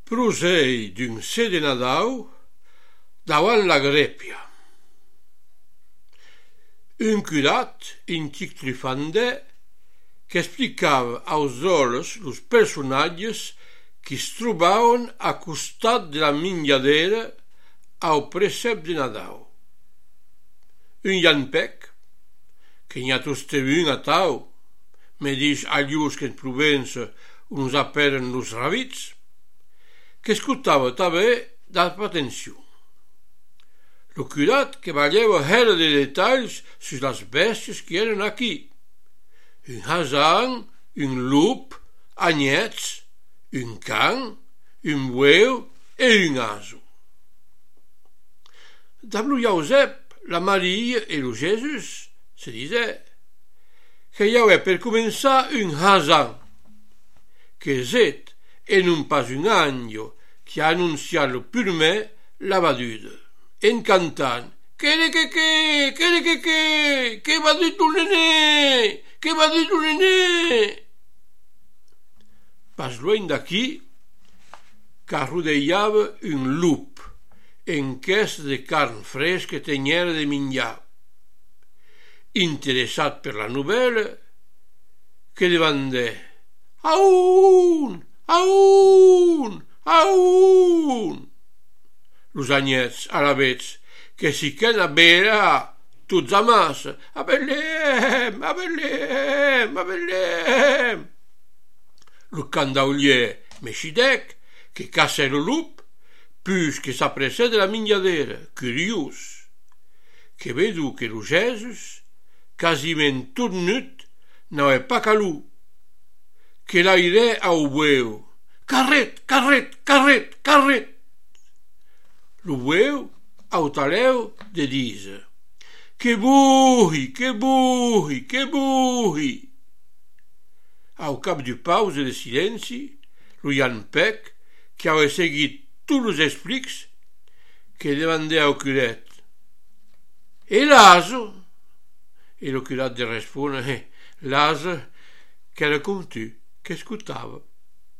Prosei d'un se de Nadau davant la grèpia. Un curat antic trifandè qu'explicava aos òles los personatges qui es trobaven a costat de la mingadera au precept de Nadau. Un llampec, que n'hi ha toste un atau, me dis alius qu'en Provença uns aperen los ravits, qu'escutava tanben d'altra atenció. Lo curat que valeva hèra de detalls sus las bèsties qui eren aquí. Un hasan, un lup, agnèts, un can, un bueu e un aso. Damb lo Jausep, la Maria e lo Jesús, se disè que i auè per començar un hasan, que zet e non pas un agno qui ha annonciat lo purmè la vaduda, en cantant que va dit lo nené, que va dit lo nené. Pas luein d'aquí qu'arrodeiava un lup en quès de carn fresca teniera de minjar. Interessat per la novel·la, que demandè «Aun! Aun! Aun!» Los agnets alavetz que si qu'en abera tots a massa «A Betlem! A Betlem! A Betlem!» Lo candaulier mexidec que caça lo lup, pus que s'apressè de la mingadera, curiós, que vedu que lo Jesús, quasiment tot nut, n'auè pas calú, que l'airè au bueu «Carret, carret, carret, carret!» Lo bueu autalèu de diser «Que buhi, que buhi, que buhi!» Au cap du pause de silenci, lo llampec, qui auè seguit tous los explics, que demandè au curet «E l'aso?» E lo curat de respondre «L'aso qu'era com tu, qu'escutava.»